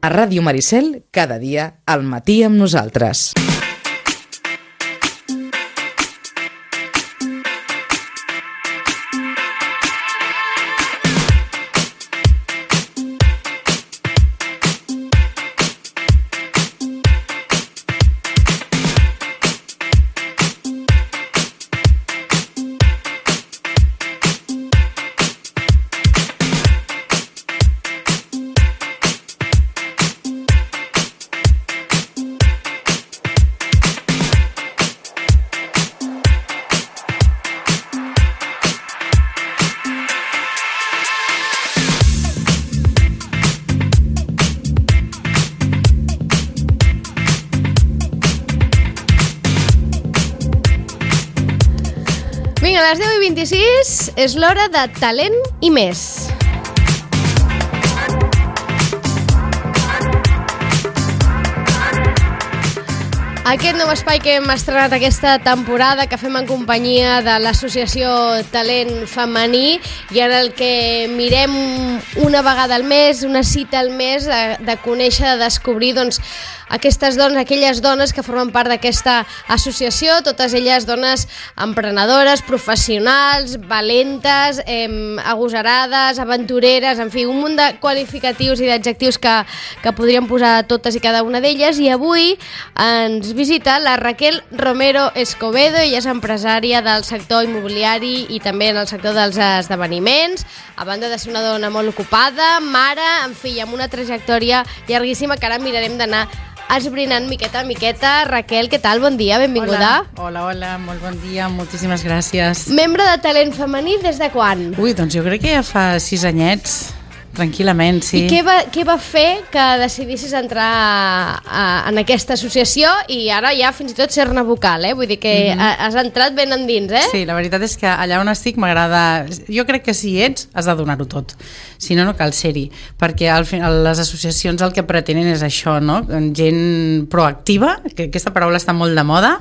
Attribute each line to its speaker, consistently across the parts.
Speaker 1: A Ràdio Maricel, cada dia, al matí amb nosaltres.
Speaker 2: Vinga, a les 10:26 és l'hora de Talent i més. Aquest nou espai que hem estrenat aquesta temporada, que fem en companyia de l'associació Talent Femení, i en el que mirem una vegada al mes, una cita al mes, de conèixer, de descobrir aquestes dones, aquelles dones que formen part d'aquesta associació, totes elles dones emprenedores, professionals, valentes, agosarades, aventureres, en fi, un munt de qualificatius i d'adjectius que podríem posar a totes i cada una d'elles. I avui ens visita la Raquel Romero Escobedo. Ella és empresària del sector immobiliari i també en el sector dels esdeveniments, a banda de ser una dona molt ocupada, mare, en fi, amb una trajectòria llarguíssima que ara mirarem d'anar esbrinant miqueta a miqueta. Raquel, què tal? Bon dia, benvinguda.
Speaker 3: Hola, molt bon dia, moltíssimes gràcies.
Speaker 2: Membre de Talent Femení des de quan?
Speaker 3: Ui, doncs jo crec que ja fa 6 anyets, tranquil·lament, sí.
Speaker 2: I què va fer que decidissis entrar en aquesta associació i ara ja fins i tot ser-ne vocal, Vull dir que has entrat ben endins,
Speaker 3: Sí, la veritat és que allà on estic m'agrada... Jo crec que si ets, has de donar-ho tot. Si no, no cal ser-hi. Perquè al final les associacions el que pretenen és això, no? Gent proactiva, que aquesta paraula està molt de moda,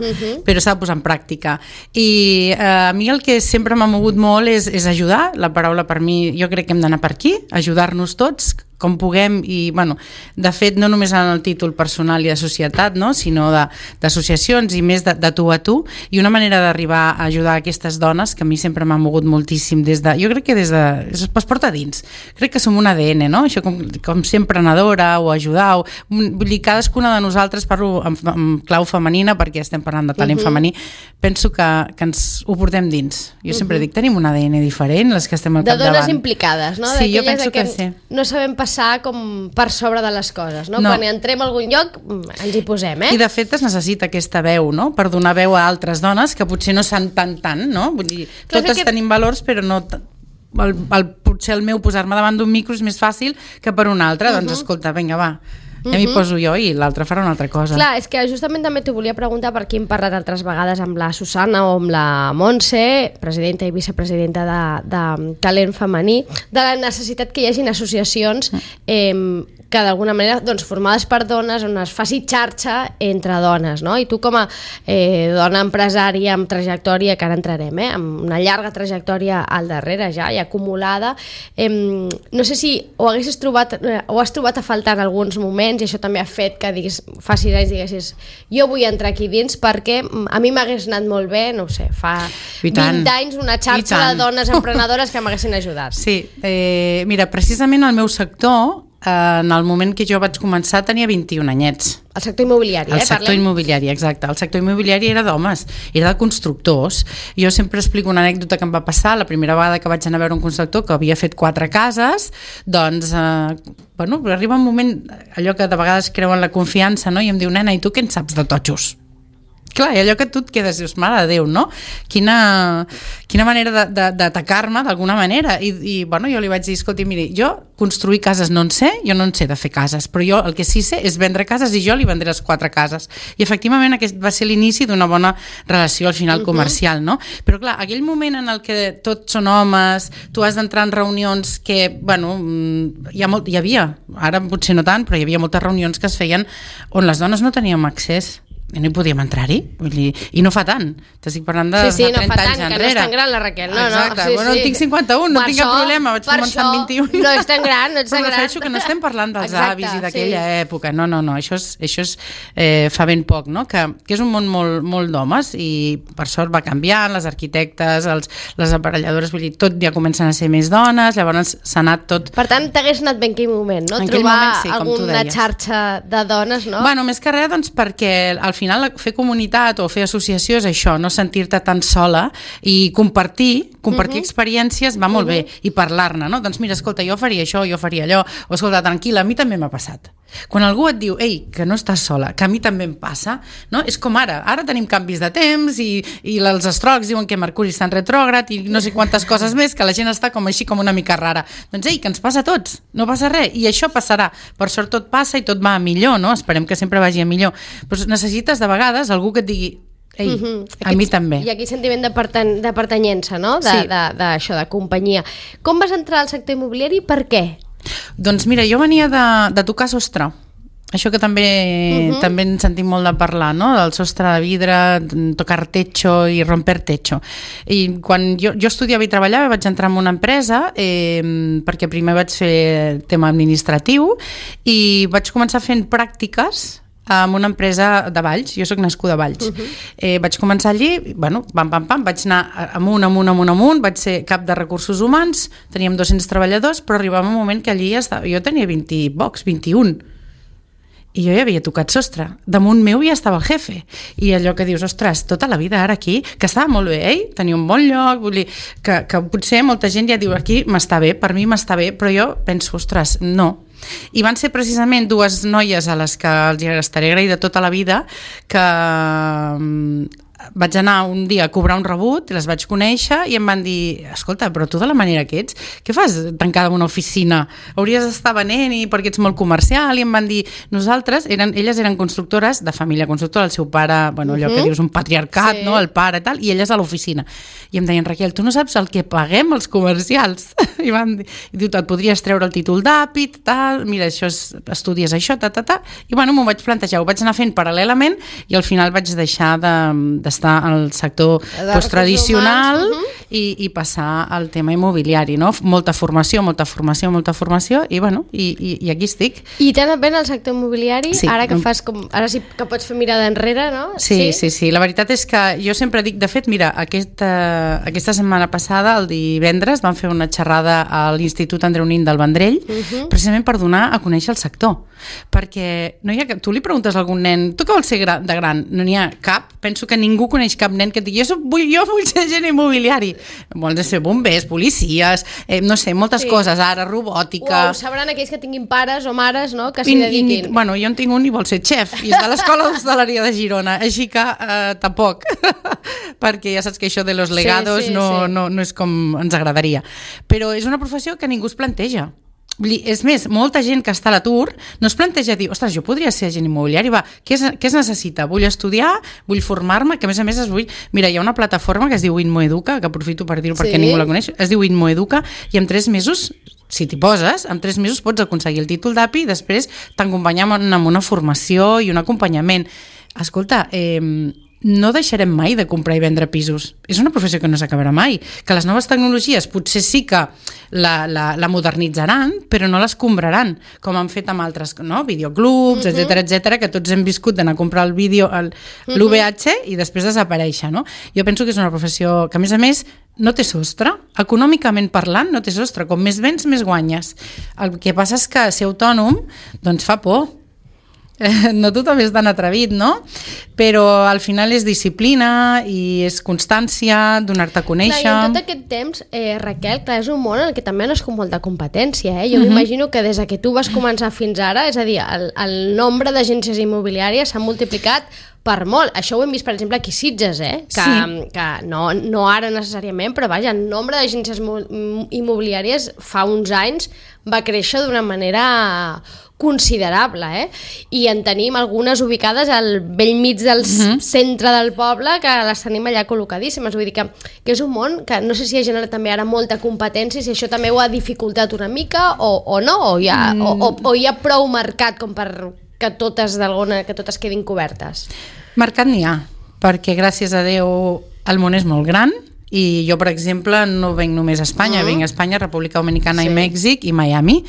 Speaker 3: però s'ha de posar en pràctica. I a mi el que sempre m'ha mogut molt és ajudar. La paraula per mi, jo crec que hem d'anar per aquí, ajudar-nos tots com puguem i, bueno, de fet, no només en el títol personal i de societat, no? Sinó d'associacions i més de tu a tu, i una manera d'arribar a ajudar aquestes dones que a mi sempre m'ha mogut moltíssim jo crec que es porta dins. Crec que som un ADN, no? Això com ser emprenedora o ajudar, vull dir, cadascuna de nosaltres, parlo en clau femenina perquè estem parlant de talent femení, penso que ens ho portem dins. Jo sempre dic, tenim un ADN diferent, les que estem al capdavant.
Speaker 2: De dones implicades, no?
Speaker 3: Sí, jo penso que sí.
Speaker 2: No sabem passar com per sobre de les coses, no? Quan entrem a algun lloc ens hi posem,
Speaker 3: I de fet es necessita aquesta veu, no? Per donar veu a altres dones que potser no s'han tant, no? Vull dir, totes tenim valors, però no... Potser el meu posar-me davant d'un micro és més fàcil que per un altre. Doncs escolta, vinga, va, ja m'hi poso jo i l'altre farà una altra cosa.
Speaker 2: Clar, és que justament també t'ho volia preguntar, perquè hem parlat altres vegades amb la Susana o amb la Montse, presidenta i vicepresidenta de Talent Femení, de la necessitat que hi hagin associacions que d'alguna manera formades per dones, on es faci xarxa entre dones, no? I tu com a dona empresària amb trajectòria, que ara entrarem, amb una llarga trajectòria al darrere ja i acumulada, no sé si ho has trobat a faltar en alguns moments, i això també ha fet que fa 6 anys diguessis, jo vull entrar aquí dins perquè a mi m'hagués anat molt bé, no ho sé, fa 20 anys una xarxa de dones emprenedores que m'haguessin ajudat.
Speaker 3: Sí, mira, precisament el meu sector, en el moment que jo vaig començar tenia 21 anyets.
Speaker 2: El sector immobiliari,
Speaker 3: El sector immobiliari, exacte. El sector immobiliari era d'homes, era de constructors. Jo sempre explico una anècdota que em va passar la primera vegada que vaig anar a veure un constructor que havia fet 4 cases, doncs, arriba un moment, allò que de vegades creuen la confiança, no? I em diu, nena, i tu què en saps de totxos? Clar, i allò que tu et quedes, dius, mare de Déu, no? Quina manera d'atacar-me d'alguna manera. I jo li vaig dir, escolti, miri, jo construir cases no en sé, jo no en sé de fer cases, però jo el que sí sé és vendre cases i jo li vendré les 4 cases. I efectivament aquest va ser l'inici d'una bona relació al final comercial, no? Però clar, aquell moment en el que tots són homes, tu has d'entrar en reunions que, hi havia, ara potser no tant, però hi havia moltes reunions que es feien on les dones no teníem accés. no hi podíem entrar-hi, i no fa tant, t'estic parlant de 30 anys enrere.
Speaker 2: Sí, no fa tant, que no és tan gran la Raquel.
Speaker 3: Exacte, bueno, tinc 51, no tinc cap problema, vaig començar amb 21.
Speaker 2: No és tan gran, no és tan gran.
Speaker 3: Però refereixo que no estem parlant dels avis i d'aquella època, no, això és fa ben poc, no? Que és un món molt d'homes i per sort va canviant, les arquitectes, les aparelladores, vull dir, tot ja comencen a ser més dones, llavors s'ha anat tot...
Speaker 2: Per tant, t'hagués anat bé en aquell moment, no? Trobar alguna xarxa de dones, no?
Speaker 3: Bueno, més que res, doncs, perquè al final fer comunitat o fer associació és això, no sentir-te tan sola i compartir experiències va molt bé i parlar-ne, no? Doncs mira, escolta, jo faria això, jo faria allò, o escolta, tranquil·la, a mi també m'ha passat. Quan algú et diu, ei, que no estàs sola, que a mi també em passa, no? És com ara tenim canvis de temps i els astròlegs diuen que Mercuri està en retrògrad i no sé quantes coses més, que la gent està com així com una mica rara. Doncs ei, que ens passa a tots, no passa res, i això passarà. Per sort tot passa i tot va a millor, no? Esperem que sempre vagi a millor. Però necessites de vegades algú que et digui, ei, a mi també.
Speaker 2: I aquí sentiment de pertanyença, no? D'això, de companyia. Com vas entrar al sector immobiliari i per què?
Speaker 3: Doncs mira, jo venia de tocar sostre. Això que també en sentim molt de parlar, no? Del sostre de vidre, tocar techo i romper techo. I quan jo estudiava i treballava vaig entrar en una empresa perquè primer vaig fer tema administratiu i vaig començar fent pràctiques en una empresa de Valls, jo soc nascuda a Valls. Vaig començar allí, bueno, pam, vaig anar amunt, vaig ser cap de recursos humans, teníem 200 treballadors, però arribava un moment que allí jo tenia 21, i jo ja havia tocat sostre. Damunt meu ja estava el jefe. I allò que dius, ostres, tota la vida ara aquí, que estava molt bé, tenia un bon lloc, vull dir, que potser molta gent ja diu, aquí m'està bé, per mi m'està bé, però jo penso, ostres, no. I van ser precisament dues noies a les que els estaré agraïda tota la vida, que vaig anar un dia a cobrar un rebut, les vaig conèixer i em van dir, escolta, però tu de la manera que ets, què fas tancada en una oficina? Hauries d'estar venent perquè ets molt comercial. I em van dir, elles eren constructores, de família constructora, el seu pare, bueno, allò que dius un patriarcat, no? El pare i tal, i elles a l'oficina. I em deien, Raquel, tu no saps el que paguem els comercials? I diu, et podries treure el títol d'àpid, tal, mira, estudies això, i bueno, m'ho vaig plantejar, ho vaig anar fent paral·lelament i al final vaig deixar d'estar al sector tradicional i passar al tema immobiliari, no? Molta formació i bueno, i aquí estic.
Speaker 2: I t'ha anat bé en el sector immobiliari?
Speaker 3: Sí.
Speaker 2: Ara sí que pots fer mirada enrere, no?
Speaker 3: Sí. La veritat és que jo sempre dic, de fet, mira, aquesta setmana passada, el divendres, vam fer una xerrada a l'Institut Andreu Nin del Vendrell, precisament per donar a conèixer el sector. Perquè no hi ha tu li preguntes a algun nen, tu què vols ser de gran? No n'hi ha cap. Penso que ningú coneix cap nen que et digui, jo vull ser agent immobiliari. Vols ser bombers, policies, no sé, moltes coses, ara, robòtica...
Speaker 2: Ho sabran aquells que tinguin pares o mares, no?, que s'hi dediquin.
Speaker 3: Bueno, jo en tinc un i vol ser xef, i és de l'Escola d'Hostaleria de Girona, així que tampoc, perquè ja saps que això de los legados no és com ens agradaria. Però és una professió que ningú es planteja. És més, molta gent que està a l'atur no es planteja dir, ostres, jo podria ser agent immobiliari, què es necessita? Vull estudiar, vull formar-me, que a més vull... Mira, hi ha una plataforma que es diu Inmoeduca, que aprofito per dir-ho perquè ningú la coneix, es diu Inmoeduca, i en 3 mesos, si t'hi poses, en 3 mesos pots aconseguir el títol d'API i després t'acompanyem amb una formació i un acompanyament. Escolta, no deixarem mai de comprar i vendre pisos. És una professió que no s'acabarà mai. Que les noves tecnologies potser sí que la modernitzaran, però no l'escombraran, com han fet amb altres, no? Videoclubs, etcètera, que tots hem viscut d'anar a comprar el vídeo, l'UVH, i després desaparèixer, no? Jo penso que és una professió que, a més, no té sostre. Econòmicament parlant, no té sostre. Com més vens, més guanyes. El que passa és que ser autònom, doncs fa por. No tothom és tan atrevit, no? Però al final és disciplina i és constància, donar-te a conèixer...
Speaker 2: Clar, i en tot aquest temps, Raquel, clar, és un món en el que també no és com molta competència, Jo m'imagino que des que tu vas començar fins ara, és a dir, el nombre d'agències immobiliàries s'ha multiplicat per molt. Això ho hem vist, per exemple, aquí a Sitges, que no ara necessàriament, però vaja, el nombre d'agències immobiliàries fa uns anys va créixer d'una manera considerable, I en tenim algunes ubicades al vell mig del centre del poble, que les tenim allà col·locadíssimes. Vull dir que és un món que no sé si ha generat també ara molta competència, si això també ho ha dificultat una mica o no, o hi ha prou mercat com per que totes quedin cobertes?
Speaker 3: Mercat n'hi ha, perquè gràcies a Déu el món és molt gran i jo, per exemple, no venc només a Espanya, venc a Espanya, República Dominicana i Mèxic i Miami,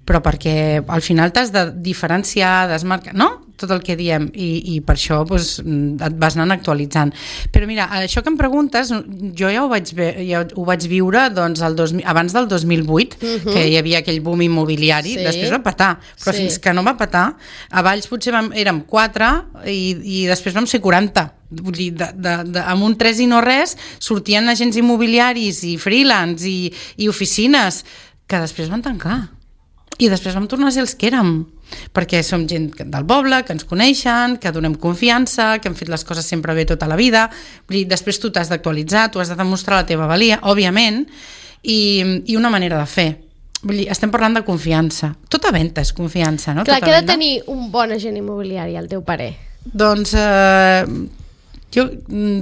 Speaker 3: però perquè al final t'has de diferenciar, desmarcar, no? Tot el que diem, i per això doncs, et vas anant actualitzant. Però mira, això que em preguntes, jo ja ho vaig viure doncs, abans del 2008, que hi havia aquell boom immobiliari, després va petar, però fins que no va petar, a Valls potser érem 4 i després vam ser 40. Vull dir, amb un 3 i no res sortien agents immobiliaris i freelance i oficines que després van tancar. I després vam tornar a ser els que érem, perquè som gent del poble, que ens coneixen, que donem confiança, que hem fet les coses sempre bé tota la vida. Vull dir, després tu t'has d'actualitzar, tu has de demostrar la teva valia, òbviament, i una manera de fer. Vull dir, estem parlant de confiança. Tota venda és confiança, no?
Speaker 2: Clar, què ha de tenir un bon agent immobiliari, al teu parer?
Speaker 3: Doncs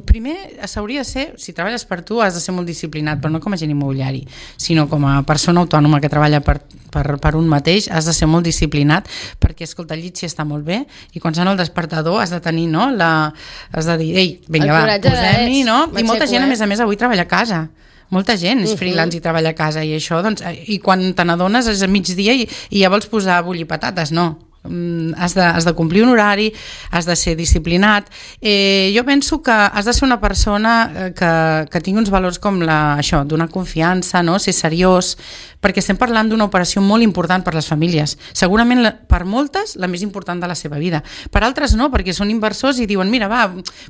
Speaker 3: primer s'hauria de ser, si treballes per tu has de ser molt disciplinat, però no com a agent immobiliari, sinó com a persona autònoma que treballa per un mateix, has de ser molt disciplinat, perquè escolta, el llit sí està molt bé i quan sona el despertador has de tenir, no? Has de dir, ei, vinga va, posem-hi, no? I molta gent, a més avui treballa a casa. Molta gent és freelance i treballa a casa i això, doncs, i quan te n'adones és a migdia i ja vols posar a bullir patates, no. Has de complir un horari, has de ser disciplinat. Jo penso que has de ser una persona que tingui uns valors com això, donar confiança, no? Ser seriós, perquè estem parlant d'una operació molt important per les famílies, segurament per moltes la més important de la seva vida, per altres no, perquè són inversors i diuen mira va,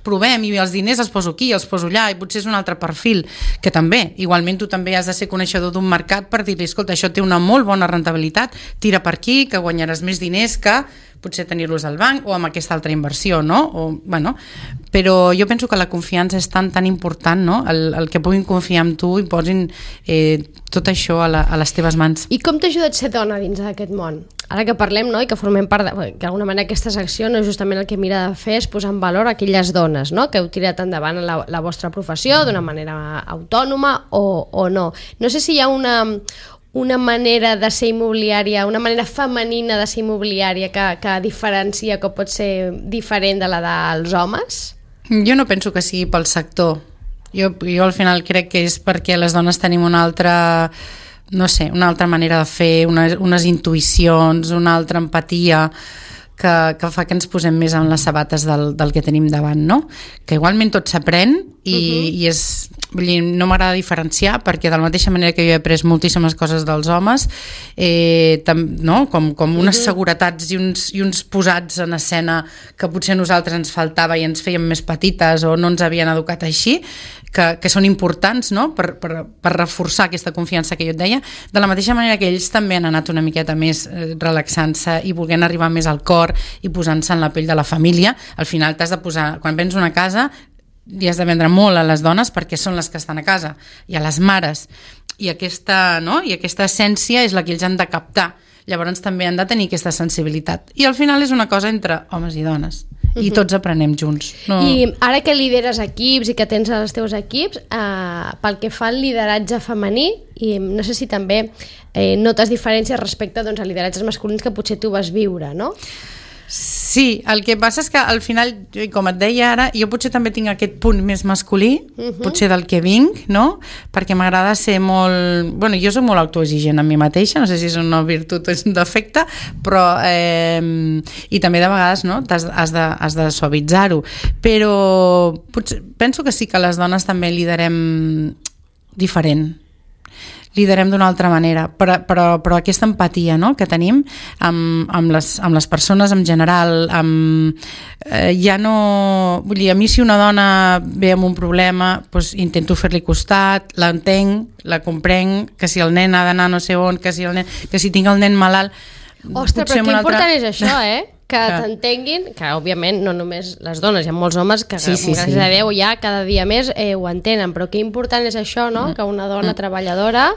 Speaker 3: provem i els diners els poso aquí, els poso allà, i potser és un altre perfil, que també, igualment tu també has de ser coneixedor d'un mercat per dir-li, escolta, això té una molt bona rendibilitat, tira per aquí, que guanyaràs més diners que potser tenir-los al banc o amb aquesta altra inversió, no? Però jo penso que la confiança és tan important, no? El que puguin confiar en tu i posin tot això a les teves mans.
Speaker 2: I com t'ha ajudat ser dona dins d'aquest món? Ara que parlem, no? I que formem part que d'alguna manera aquesta secció no és justament el que mira de fer és posar en valor aquelles dones, no? Que heu tirat endavant la vostra professió d'una manera autònoma o no. No sé si hi ha una manera de ser immobiliària, una manera femenina de ser immobiliària que diferencia, que pot ser diferent de la dels homes?
Speaker 3: Jo no penso que sigui pel sector. Jo al final crec que és perquè les dones tenim una altra manera de fer, unes intuïcions, una altra empatia que fa que ens posem més en les sabates del que tenim davant, no? Que igualment tot s'aprèn i és, vull dir, no m'agrada diferenciar perquè de la mateixa manera que jo he après moltíssimes coses dels homes, no? com unes seguretats i uns posats en escena que potser a nosaltres ens faltava i ens fèiem més petites o no ens havien educat així, que són importants, no? per reforçar aquesta confiança que jo et deia, de la mateixa manera que ells també han anat una miqueta més relaxant-se i volent arribar més al cor i posant-se en la pell de la família. Al final t'has de posar, quan vens una casa i has de vendre molt a les dones perquè són les que estan a casa i a les mares, i aquesta essència és la que ells han de captar. Llavors també han de tenir aquesta sensibilitat i al final és una cosa entre homes i dones i tots aprenem junts.
Speaker 2: I ara que lideres equips i que tens els teus equips, pel que fa al lideratge femení, i no sé si també notes diferències respecte doncs, a lideratges masculins que potser tu vas viure, no?
Speaker 3: Sí, el que passa és que al final, com et deia ara, jo potser també tinc aquest punt més masculí, potser del que vinc, no? Perquè m'agrada ser molt... Bueno, jo soc molt autoexigent amb mi mateixa, no sé si és una virtut o és un defecte, però... I també de vegades, no? Has de suavitzar-ho. Però penso que sí que les dones també liderem diferent. Liderem d'una altra manera, però aquesta empatia, no?, que tenim amb les persones en general, ja no... Vull dir, a mi si una dona ve amb un problema, doncs intento fer-li costat, l'entenc, la comprenc, que si el nen ha d'anar no sé on, que si tinc el nen malalt...
Speaker 2: Ostres, però que important és això, que t'entenguin, que òbviament no només les dones, hi ha molts homes que gràcies a Déu ja cada dia més ho entenen, però que important és això, no? Que una dona treballadora,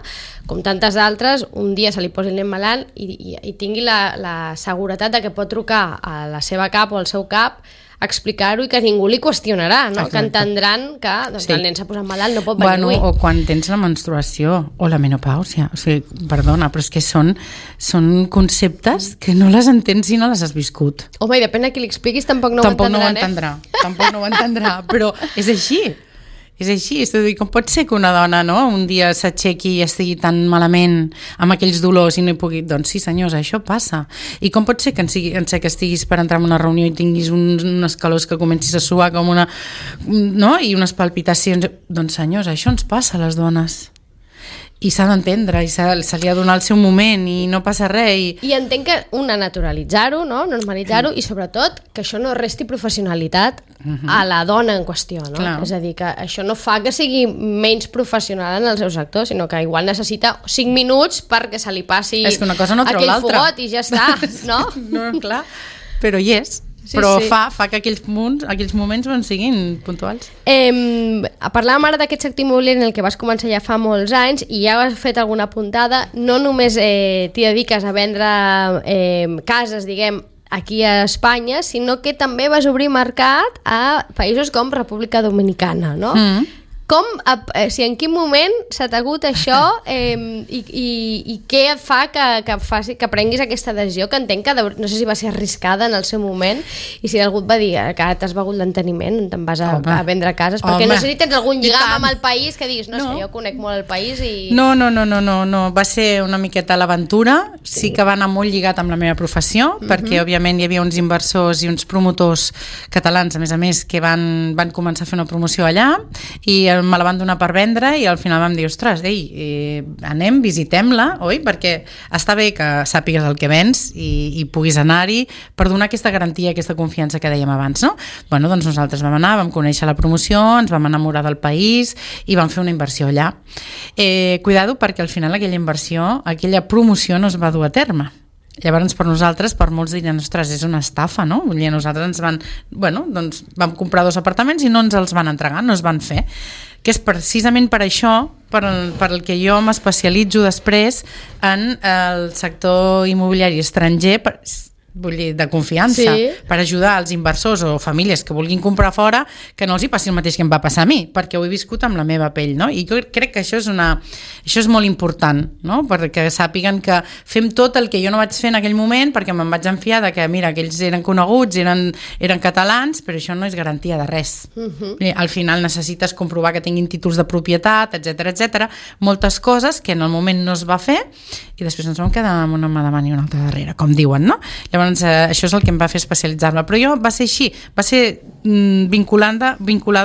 Speaker 2: com tantes altres, un dia se li posi el nen malalt i tingui la seguretat de que pot trucar a la seva cap o al seu cap explicar-ho i que ningú li qüestionarà, no?
Speaker 3: Exacte.
Speaker 2: Que entendran que doncs, el nen s'ha posat malalt, no pot venir avui.
Speaker 3: O quan tens la menstruació o la menopàusia, o sigui, perdona, però és que són conceptes que no les entens si no les has viscut.
Speaker 2: Home, i depèn de qui li expliquis, tampoc no ho entendran,
Speaker 3: Tampoc no ho entendrà, però és així. És així, és a dir, com pot ser que una dona, no, un dia s'aixequi i estigui tan malament amb aquells dolors i no hi pugui... Doncs sí, senyors, això passa. I com pot ser que que estiguis per entrar en una reunió i tinguis unes calors que comencis a suar com una... no? I unes palpitacions... Doncs senyors, això ens passa a les dones. I s'ha d'entendre, i se li ha de donar el seu moment i no passa res.
Speaker 2: I entenc que naturalitzar-ho, no? Normalitzar-ho, i sobretot que això no resti professionalitat a la dona en qüestió, no?
Speaker 3: Clar.
Speaker 2: És a dir, que això no fa que sigui menys professional en el seu sector, sinó que igual necessita 5 minuts perquè se li passi
Speaker 3: és que una cosa no treu
Speaker 2: aquell
Speaker 3: l'altra.
Speaker 2: fogot i ja està, no?
Speaker 3: No, clar, però hi és. Sí, però sí. Fa que aquells moments siguin puntuals.
Speaker 2: Parlàvem ara d'aquest sector immobiliari en el que vas començar ja fa molts anys i ja has fet alguna puntada. No només t'hi dediques a vendre cases, diguem, aquí a Espanya, sinó que també vas obrir mercat a països com República Dominicana, no? En quin moment s'ha hagut això i què et fa que prenguis aquesta decisió, que entenc que no sé si va ser arriscada en el seu moment i si algú et va dir que t'has begut l'enteniment, te'n vas a vendre cases, perquè no sé si tens algun lligam amb el país que diguis, no sé, jo conec molt el país i...
Speaker 3: No, va ser una miqueta l'aventura, sí que va anar molt lligat amb la meva professió, perquè òbviament hi havia uns inversors i uns promotors catalans, a més, que van començar a fer una promoció allà i me la van donar per vendre i al final vam dir, ostres, anem, visitem-la, oi? Perquè està bé que sàpigues el que vens i puguis anar-hi per donar aquesta garantia, aquesta confiança que dèiem abans, no? Bueno, doncs nosaltres vam anar, vam conèixer la promoció, ens vam enamorar del país i vam fer una inversió allà. Cuidado, perquè al final aquella promoció no es va dur a terme. Llavors, per nosaltres, per molts diran, ostres, és una estafa, no? Vull dir, nosaltres vam comprar 2 apartaments i no ens els van entregar, no es van fer. Que és precisament per això per el que jo m'especialitzo després en el sector immobiliari estranger, vull dir, de confiança, per ajudar als inversors o famílies que vulguin comprar fora, que no els hi passi el mateix que em va passar a mi, perquè ho he viscut amb la meva pell, no? I jo crec que això és molt important, no? Perquè sàpiguen que fem tot el que jo no vaig fer en aquell moment, perquè me'n vaig enfiar de que, mira, aquells eren coneguts, eren catalans, però això no és garantia de res. Al final necessites comprovar que tinguin títols de propietat, etc, moltes coses que en el moment no es va fer i després ens vam quedar amb una mà davant i una altra darrere, com diuen, no? Llavors, això és el que em va fer especialitzar-me, però jo va ser així, va ser vinculada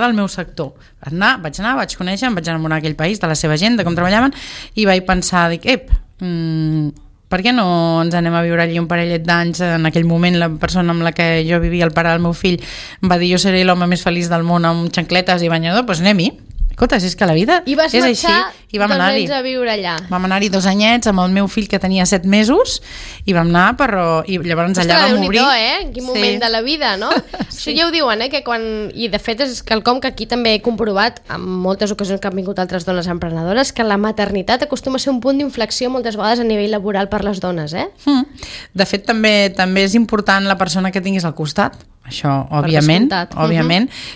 Speaker 3: al meu sector. Vaig conèixer, em vaig enamorar d'aquell país, de la seva gent, de com treballaven, i vaig pensar, per què no ens anem a viure allí un parellet d'anys? En aquell moment la persona amb la que jo vivia, el pare del meu fill, em va dir, jo seré l'home més feliç del món amb xancletes i banyador, doncs anem-hi. Escolta, és que la vida és així.
Speaker 2: I vas marxar 2 anys a viure allà.
Speaker 3: Vam anar-hi 2 anyets amb el meu fill que tenia 7 mesos i vam anar i llavors allà vam obrir.
Speaker 2: En quin moment de la vida, no? Això ja ho diuen, que quan... I de fet és quelcom que aquí també he comprovat en moltes ocasions que han vingut altres dones emprenedores, que la maternitat acostuma a ser un punt d'inflexió moltes vegades a nivell laboral per les dones,
Speaker 3: De fet, també és important la persona que tinguis al costat. Això, òbviament,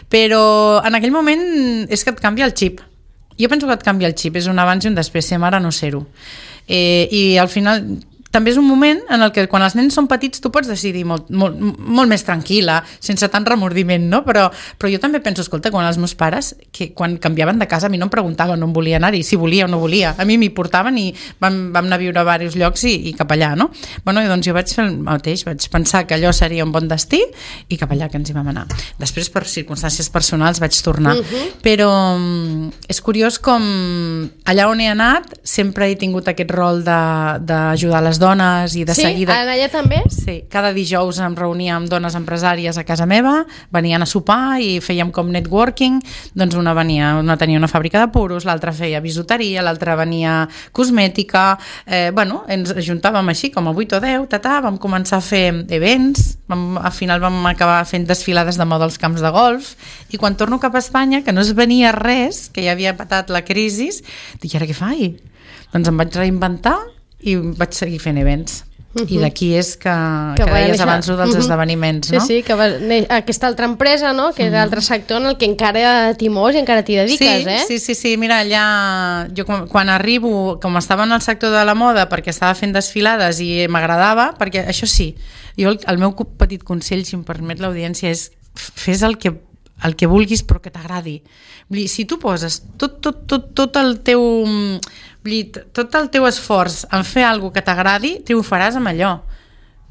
Speaker 3: però en aquell moment és que et canvia el xip. Jo penso que et canvia el xip, és un abans i un després, ser mare no ser-ho. I al final també és un moment en el que quan els nens són petits tu pots decidir molt més tranquil·la, sense tant remordiment, no? Però jo també penso, escolta, quan els meus pares, que quan canviaven de casa a mi no em preguntaven on volia anar-hi, si volia o no volia, a mi m'hi portaven i vam anar a viure a diversos llocs i cap allà, no? Bueno, i doncs jo vaig fer el mateix, vaig pensar que allò seria un bon destí i cap allà que ens hi vam anar. Després, per circumstàncies personals, vaig tornar. Però és curiós com allà on he anat sempre he tingut aquest rol d'ajudar les dones i de seguida...
Speaker 2: Sí? Allà també?
Speaker 3: Sí, cada dijous em reunia amb dones empresàries a casa meva, venien a sopar i fèiem com networking, doncs una tenia una fàbrica de puros, l'altra feia bisuteria, l'altra venia cosmètica, ens ajuntàvem així com a 8 o 10, vam començar a fer events, al final vam acabar fent desfilades de moda als camps de golf i quan torno cap a Espanya, que no es venia res, que ja havia patat la crisi, dic, i ara què faig? Doncs em vaig reinventar i vaig seguir fent events. I d'aquí és que deies abans dels esdeveniments, no?
Speaker 2: Sí, que va aquesta altra empresa, no? Que és l'altre sector en el que encara t'hi mous i encara t'hi dediques,
Speaker 3: Sí, mira, allà jo quan arribo, com estava en el sector de la moda perquè estava fent desfilades i m'agradava, perquè això sí, jo el meu petit consell, si em permet l'audiència, és fes el que vulguis però que t'agradi. Si tu poses tot el teu esforç en fer alguna cosa que t'agradi, triomfaràs amb allò,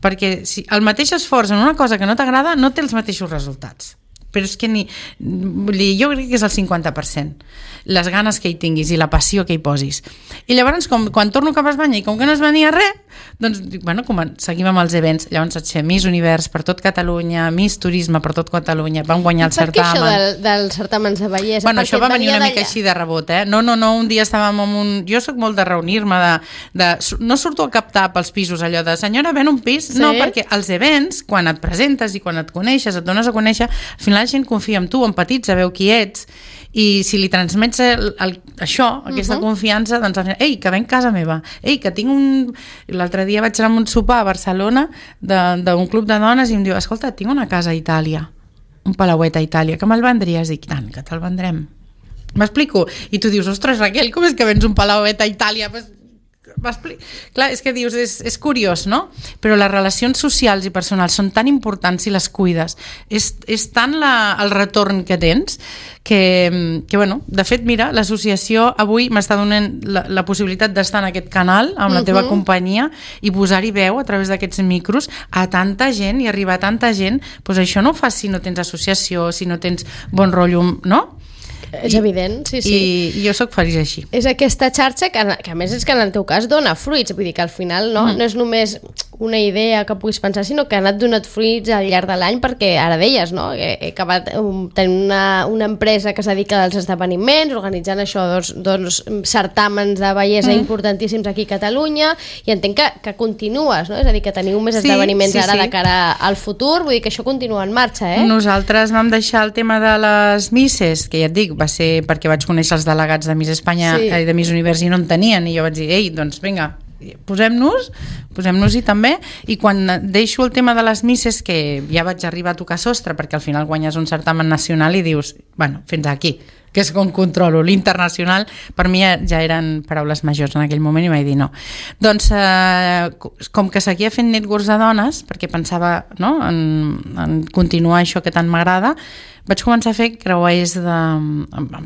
Speaker 3: perquè si el mateix esforç en una cosa que no t'agrada no té els mateixos resultats, però és que jo crec que és el 50% les ganes que hi tinguis i la passió que hi posis. I llavors quan torno cap a Espanya i com que no es venia res, doncs seguim amb els events. Llavors vaig fer Miss Univers per tot Catalunya, Miss Turisme per tot Catalunya, vam guanyar el certamen.
Speaker 2: Per què això dels certàmens de bellesa?
Speaker 3: Bueno, això va venir una mica així de rebot, No, un dia estàvem amb un... Jo soc molt de reunir-me, no surto a captar pels pisos allò de senyora, ven un pis? Sí? No, perquè els events, quan et presentes i quan et coneixes, et dones a conèixer, al final la gent confia en tu, empatitza, veu qui ets, i si li transmets aquesta confiança, doncs al final, ei, que ven casa meva, ei, que tinc un... L'altre dia vaig anar a un sopar a Barcelona d'un club de dones i em diu, escolta, tinc una casa a Itàlia, un palauet a Itàlia, que me'l vendries? Dic, tant, que te'l vendrem. M'explico? I tu dius, ostres, Raquel, com és que vens un palauet a Itàlia? Clar, és que dius, és curiós, no? Però les relacions socials i personals són tan importants si les cuides. És tant el retorn que tens que bueno, de fet, mira, l'associació avui m'està donant la possibilitat d'estar en aquest canal amb la teva companyia i posar-hi veu a través d'aquests micros a tanta gent i arribar a tanta gent. Doncs això no ho fas si no tens associació, si no tens bon rotllo, no?
Speaker 2: És evident, sí.
Speaker 3: I jo sóc feliç així.
Speaker 2: És aquesta xarxa que a més és que en el teu cas dona fruits, vull dir que al final no és només una idea que puguis pensar, sinó que ha anat donat fruits al llarg de l'any, perquè ara deies, no? He acabat tenint una empresa que es dedica als esdeveniments, organitzant això, dos certàmens de bellesa importantíssims aquí a Catalunya, i entenc que continues, no? És a dir, que teniu més esdeveniments ara de cara al futur, vull dir que això continua en marxa,
Speaker 3: Nosaltres vam deixar el tema de les misses, que ja et dic, va ser perquè vaig conèixer els delegats de Miss Espanya i de Miss Univers i no en tenien, i jo vaig dir, ei, doncs vinga, posem-nos-hi també. I quan deixo el tema de les misses, que ja vaig arribar a tocar sostre, perquè al final guanyes un certamen nacional i dius, bueno, fins aquí, que és com controlo. L'internacional per mi ja eren paraules majors en aquell moment i vaig dir no. Doncs com que seguia fent networks de dones, perquè pensava en continuar això que tant m'agrada, vaig començar a fer creuers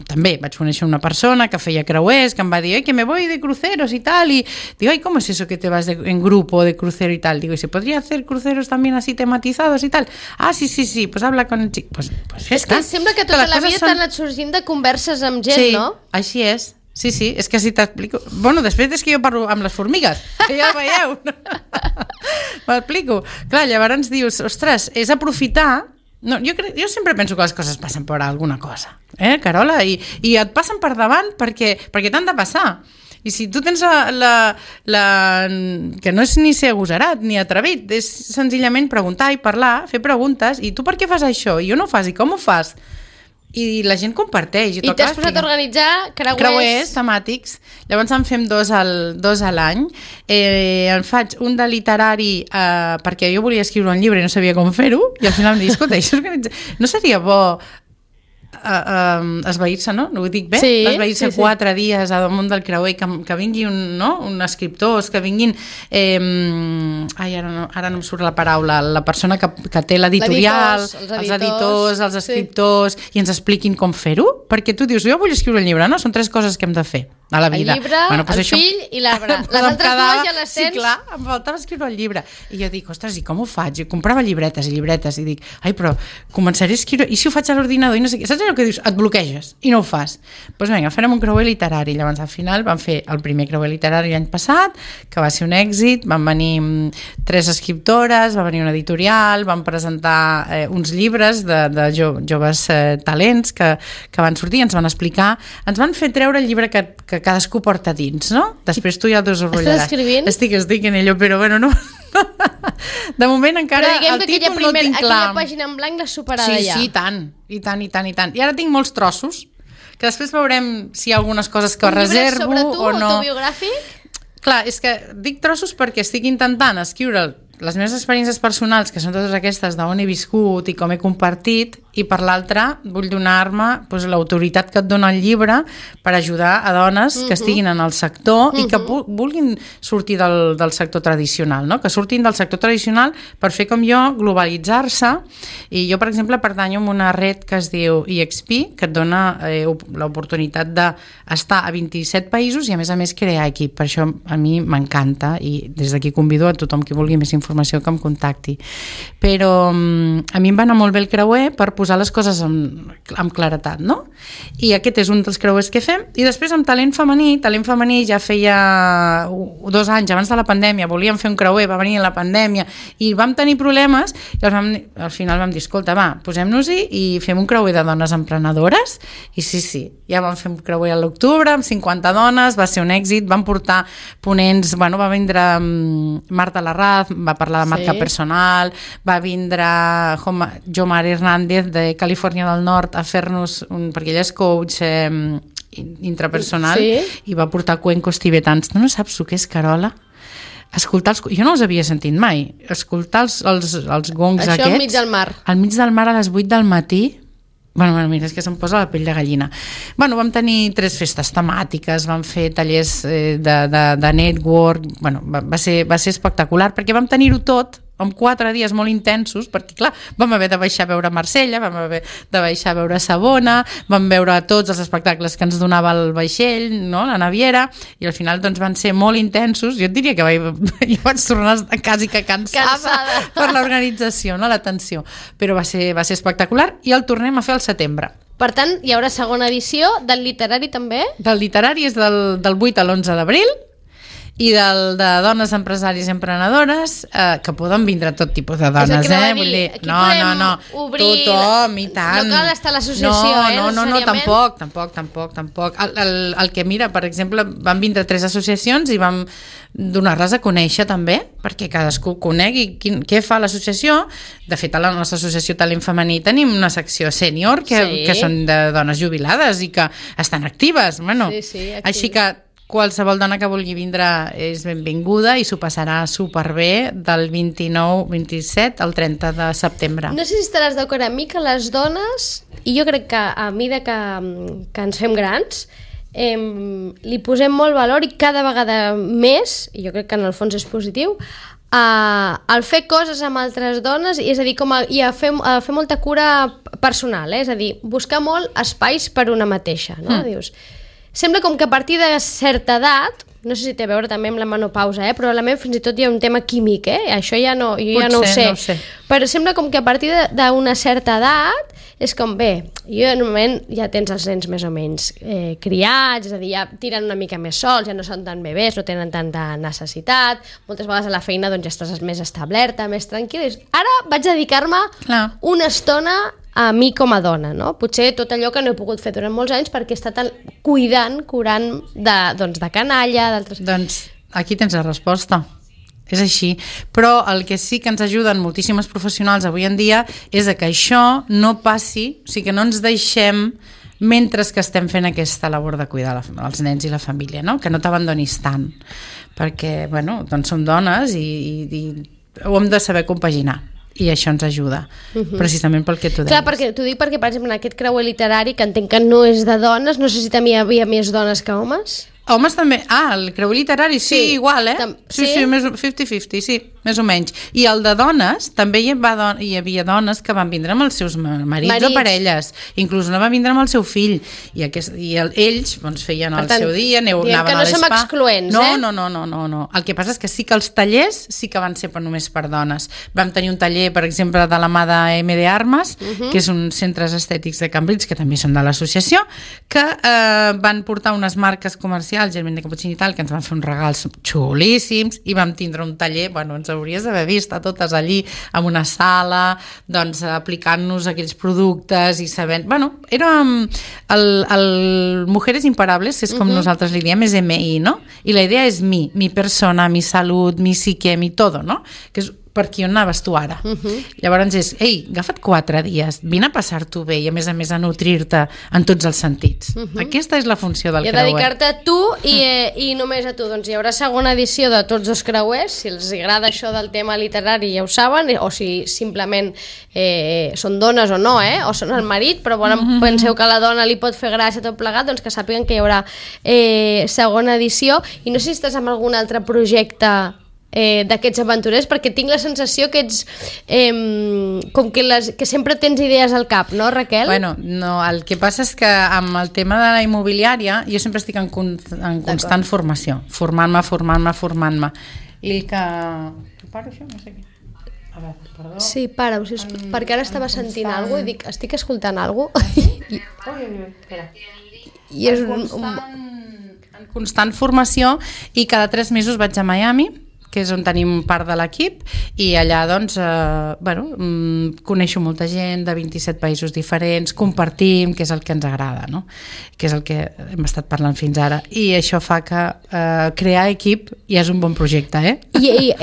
Speaker 3: també vaig conèixer una persona que feia creuers, que em va dir, que me voy de cruceros y tal, y digo, ¿cómo es eso que te vas en grupo de crucero y tal? Digo, ¿y se podría hacer cruceros también así tematizados y tal? Ah, sí, pues habla con el chico. Pues ja
Speaker 2: és que sembla que tota la vida t'han anat sorgint de converses amb gent, no?
Speaker 3: Sí, així és. Sí, és que si t'explico... Bueno, després és que jo parlo amb les formigues, que ja ho veieu. M'explico. Clar, llavors dius, ostres, és aprofitar... No, jo sempre penso que les coses passen per alguna cosa, Carola? I et passen per davant perquè t'han de passar. I si tu tens que no és ni ser agosarat ni atrevit, és senzillament preguntar i parlar, fer preguntes, i tu per què fas això? I jo no ho fas, i com ho fas? I la gent comparteix.
Speaker 2: I t'has posat a organitzar creuers
Speaker 3: temàtics. Llavors en fem dos a l'any. En faig un de literari perquè jo volia escriure un llibre i no sabia com fer-ho, i al final em dic, escolta, no seria bo esvair-se, no? No ho dic bé? Esvair-se 4 dies a damunt del creuer, que vingui un escriptors, que vinguin ara no em surt la paraula, la persona que té l'editorial, els editors, els escriptors, i ens expliquin com fer-ho, perquè tu dius, jo vull escriure un llibre, no? Són 3 coses que hem de fer a la vida.
Speaker 2: El llibre, el fill i l'arbre. Les altres dues ja les tens.
Speaker 3: Sí, clar, em faltava escriure el llibre. I jo dic, ostres, i com ho faig? Jo comprava llibretes i llibretes i dic, però començaré a escriure, i si ho faig a l'ordinador i no sé què, saps allò que dius? Et bloqueges i no ho fas. Doncs vinga, farem un creuer literari. Llavors al final vam fer el primer creuer literari l'any passat, que va ser un èxit, van venir 3 escriptores, va venir una editorial, van presentar uns llibres de joves talents que van sortir, ens van explicar, ens van fer treure el llibre que cadascú porta dins, no? Després tu ja el desenvoluparàs.
Speaker 2: Estàs escrivint?
Speaker 3: Estic en ello, però bueno, no... De moment encara el títol no el tinc clar.
Speaker 2: Aquella pàgina en blanc l'ha superada ja.
Speaker 3: Sí, i tant. I ara tinc molts trossos, que després veurem si hi ha algunes coses que reservo o no.
Speaker 2: Un llibre sobre tu, autobiogràfic?
Speaker 3: Clar, és que dic trossos perquè estic intentant escriure les meves experiències personals, que són totes aquestes d'on he viscut i com he compartit, i per l'altra vull donar-me doncs, l'autoritat que et dona el llibre per ajudar a dones que estiguin en el sector i que vulguin sortir del sector tradicional, no? Que surtin del sector tradicional per fer com jo, globalitzar-se. I jo, per exemple, pertanyo a una red que es diu EXP, que et dona l'oportunitat d'estar a 27 països i a més crear equip. Per això a mi m'encanta i des d'aquí convido a tothom que vulgui més informació que em contacti. Però a mi em va anar molt bé el creuer per posar les coses amb claretat, no? I aquest és un dels creuers que fem. I després amb talent femení ja feia 2 anys abans de la pandèmia, volíem fer un creuer, va venir la pandèmia i vam tenir problemes i al final vam dir, escolta, va, posem-nos-hi i fem un creuer de dones emprenedores i sí, ja vam fer un creuer a l'octubre amb 50 dones, va ser un èxit, vam portar ponents, va vindre Marta Larraz, va parlar de marca personal, va vindre Jomar Hernández de Califòrnia del Nord a fer-nos, perquè ella és coach intrapersonal i va portar cuencos tibetans. No saps el que és, Carola? Escoltar jo no els havia sentit mai. Escoltar els gongs aquests.
Speaker 2: Això al mig del mar.
Speaker 3: Al mig del mar a les 8 del matí. Mira, és que se'm posa la pell de gallina. Vam tenir 3 festes temàtiques, vam fer tallers de network, va ser espectacular, perquè vam tenir-ho tot en 4 dies molt intensos, perquè clar, vam haver de baixar a veure Marsella, vam haver de baixar a veure Savona, vam veure tots els espectacles que ens donava el vaixell, no? La naviera, i al final doncs van ser molt intensos. Jo et diria que jo vaig tornar quasi que cansada per l'organització, no? L'atenció, però va ser espectacular i el tornem a fer al setembre.
Speaker 2: Per tant, hi haurà segona edició del literari també?
Speaker 3: Del literari és del 8 a l'11 d'abril i de dones empresaris i emprenedores, que poden vindre tot tipus de dones, vull dir, no,
Speaker 2: obrir,
Speaker 3: tothom, i tant.
Speaker 2: No cal estar a l'associació,
Speaker 3: no, tampoc. El que mira, per exemple, van vindre 3 associacions i vam donar-les a conèixer també, perquè cadascú conegui què fa l'associació. De fet, a la nostra associació Talent Femení tenim una secció sènior que són de dones jubilades i que estan actives. Així que qualsevol dona que vulgui vindre és benvinguda i s'ho passarà superbé del 29-27 al 30 de setembre.
Speaker 2: No sé si estaràs d'acord amb mi que les dones, i jo crec que a mesura que ens fem grans, li posem molt valor i cada vegada més, i jo crec que en el fons és positiu, al fer coses amb altres dones, és a dir, a fer molta cura personal, és a dir, buscar molt espais per una mateixa, no? Dius, sembla com que a partir de certa edat, no sé si té a veure també amb la menopausa, probablement fins i tot hi ha un tema químic, això jo ja no ho sé. Però sembla com que a partir d'una certa edat és com, jo normalment ja tens els nens més o menys criats, és a dir, ja tiren una mica més sols, ja no són tan bebès, no tenen tanta necessitat, moltes vegades a la feina doncs ja estàs més establerta, més tranquil·la. Ara vaig dedicar-me una estona a mi com a dona, no? Potser tot allò que no he pogut fer durant molts anys perquè he estat curant de canalla, d'altres...
Speaker 3: Doncs aquí tens la resposta. És així. Però el que sí que ens ajuden moltíssimes professionals avui en dia és que això no passi, o sigui que no ens deixem mentre que estem fent aquesta labor de cuidar els nens i la família, no? Que no t'abandonis tant. Perquè, doncs som dones i ho hem de saber compaginar. I això ens ajuda, precisament pel que tu deies.
Speaker 2: Clar, t'ho dic perquè, per exemple, en aquest creuer literari, que entenc que no és de dones, no sé si també hi havia més dones que homes?
Speaker 3: Homes també. El creuer literari, sí, igual, Sí, 50-50, sí, més o menys. I el de dones, també hi havia dones que van vindre amb els seus marits o parelles. Inclús una va vindre amb el seu fill. I ells feien el seu dia, anaven a l'espa.
Speaker 2: Que no som excloents,
Speaker 3: No. El que passa és que sí que els tallers sí que van ser només per dones. Vam tenir un taller, per exemple, de la mà de MD Armes, que és un centres estètics de Cambrils, que també són de l'associació, que van portar unes marques comercials, Germain de Caputxín i tal, que ens van fer uns regals xulíssims i vam tindre un taller, ens hauries d'haver vist a totes allí, en una sala, doncs aplicant-nos aquells productes i sabent... Era el Mujeres Imparables, que és com nosaltres li diem, és MI, no? I la idea és mi persona, mi salut, mi psique, mi todo, no? Que és per aquí on anaves tu ara. Llavors és, ei, agafa't 4 dies, vine a passar-t'ho bé i a més a nutrir-te en tots els sentits. Aquesta és la funció del creuer.
Speaker 2: I dedicar-te a tu i només a tu. Doncs hi haurà segona edició de Tots dos creuers, si els agrada això del tema literari ja ho saben, o si simplement són dones o no, o són el marit, però penseu que a la dona li pot fer gràcia tot plegat, doncs que sàpiguen que hi haurà segona edició. I no sé si estàs amb algun altre projecte d'aquests aventurers, perquè tinc la sensació que ets com que sempre tens idees al cap, no, Raquel?
Speaker 3: Bueno, no, el que passa és que amb el tema de la immobiliària jo sempre estic en constant formació, formant-me. I el que... Paro això? No sé què. A veure, perdó.
Speaker 2: Sí, para-ho, perquè ara estava sentint alguna cosa i dic, estic escoltant alguna cosa.
Speaker 3: Espera.
Speaker 2: I és
Speaker 3: en constant formació i cada 3 mesos vaig a Miami, que és on tenim part de l'equip, i allà doncs coneixo molta gent de 27 països diferents, compartim, que és el que ens agrada, no? Que és el que hem estat parlant fins ara, i això fa que crear equip ja és un bon projecte,
Speaker 2: I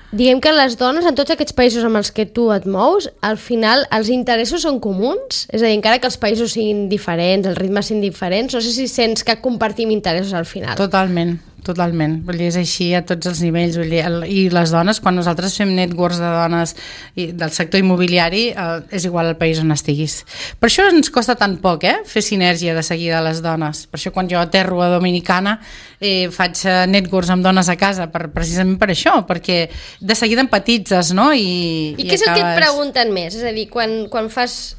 Speaker 2: diguem que les dones en tots aquests països amb els que tu et mous, al final els interessos són comuns? És a dir, encara que els països siguin diferents, els ritmes siguin diferents, no sé si sents que compartim interessos al final.
Speaker 3: Totalment. Vull dir, és així a tots els nivells. Vull dir, i les dones, quan nosaltres fem networks de dones del sector immobiliari, és igual al país on estiguis. Per això ens costa tan poc, fer sinergia de seguida a les dones. Per això quan jo aterro a Dominicana faig networks amb dones a casa, precisament per això, perquè de seguida empatitzes, no? I
Speaker 2: què és el que et pregunten més? És a dir, quan fas